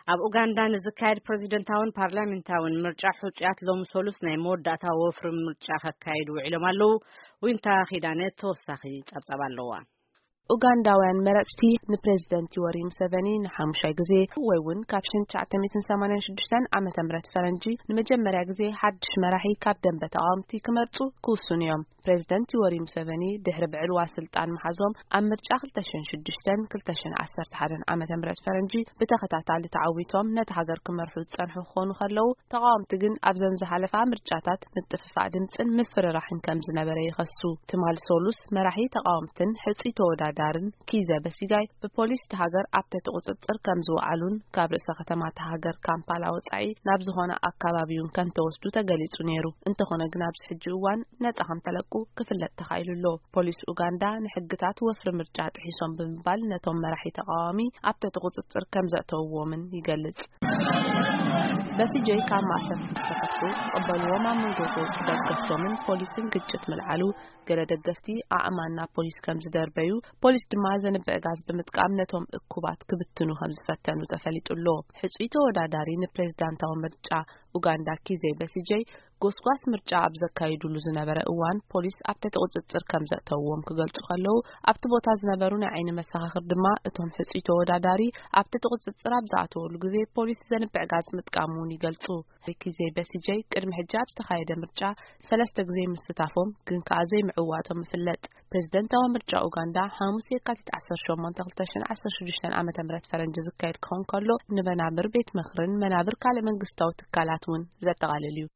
ኣብ ኡጋንዳ ንዝካየድ ፕሬዚደንታውን ፓርላሜንታውን ምርጫ፣ ሕጹያት ሎሚ ሰሉስ ናይ መወዳእታ ወፍሪ ምርጫ ከካይዱ ውዒሎም ኣለዉ። ዊንታ ኪዳነ ተወሳኺ ጸብጻብ ኣለዋ። ኡጋንዳውያን መረጽቲ ንፕሬዚደንት ዮወሪ ሙሰቨኒ ንሓሙሻይ ግዜ፣ ወይ እውን ካብ ሽሕን ትሽዓተ ሚእትን ሰማንያን ሽዱሽተን ዓመተ ምህረት ፈረንጂ ንመጀመርያ ግዜ ሓድሽ መራሒ ካብ ደንበ ተቓወምቲ ክመርጹ ክውስኑ እዮም። ፕሬዚደንት ዮወሪ ሙሰቨኒ ድሕሪ ብዕልዋ ስልጣን ምሓዞም ኣብ ምርጫ ክልተ ሽሕን ሽዱሽተን ክልተ ሽሕን ዓሰርተ ሓደን ዓመተ ምህረት ፈረንጂ ብተኸታታሊ ተዓዊቶም ነቲ ሃገር ክመርሑ ዝጸንሑ ክኾኑ ከለዉ፣ ተቓወምቲ ግን ኣብዘን ዝሓለፋ ምርጫታት ምጥፍፋእ ድምጽን ምፍርራሕን ከም ዝነበረ ይኸሱ። ትማል ሶሉስ መራሒ ተቓወምትን ሕጹይ ተወዳዳርን ኪዘ በሲጋይ ብፖሊስ እቲ ሃገር ኣብ ትሕቲ ቁጽጽር ከም ዝወዓሉን ካብ ርእሰ ከተማ እታ ሃገር ካምፓላ ወጻኢ ናብ ዝኾነ ኣካባቢ እውን ከም ተወስዱ ተገሊጹ ነይሩ። እንተኾነ ግን ኣብዚ ሕጂ እዋን ነጻ ከም ተለቁ ክፍለጥ ተኻኢሉ ኣሎ። ፖሊስ ኡጋንዳ ንሕግታት ወፍሪ ምርጫ ጥሒሶም ብምባል ነቶም መራሒ ተቓዋሚ ኣብ ትሕቲ ቁጽጽር ከም ዘእተውዎምን ይገልጽ። በሲጀይ ካብ ማእሰርቲ ምስ ተፈትሑ ዝቕበልዎም ኣብ መንጎ ገጹ ደገፍቶምን ፖሊስን ግጭት ምልዓሉ፣ ገለ ደገፍቲ ኣእማን ናብ ፖሊስ ከም ዝደርበዩ፣ ፖሊስ ድማ ዘንብዕ ጋዝ ብምጥቃም ነቶም እኩባት ክብትኑ ከም ዝፈተኑ ተፈሊጡ ኣሎ። ሕጹይ ተወዳዳሪ ንፕሬዝዳንታዊ ምርጫ ኡጋንዳ ኪዘ በሲጀይ ጎስጓስ ምርጫ ኣብ ዘካይዱሉ ዝነበረ እዋን ፖሊስ ኣብ ትሕቲ ቁጽጽር ከም ዘእተውዎም ክገልጹ ከለዉ፣ ኣብቲ ቦታ ዝነበሩ ናይ ዓይኒ መሰኻኽር ድማ እቶም ሕጹይ ተወዳዳሪ ኣብ ትሕቲ ቁጽጽር ኣብ ዝኣተወሉ ግዜ ፖሊስ ዘንብዕ ጋዝ ምጥቃሙ እውን ይገልጹ። ኪዘ በሲጀይ ቅድሚ ሕጂ ኣብ ዝተኻየደ ምርጫ ሰለስተ ግዜ ምስታፎም ግን ከኣ ዘይምዕዋቶም ይፍለጥ። ፕሬዝደንታዊ ምርጫ ኡጋንዳ ሓሙስ የካቲት ዓሰርተ ሸሞንተ ክልተ ሽሕን ዓሰርተ ሽዱሽተን ዓመተ ምህረት ፈረንጂ ዝካየድ ክኸውን ከሎ፣ ንመናብር ቤት ምኽርን መናብር ካልእ መንግስታዊ ትካላት እውን ዘጠቓልል እዩ።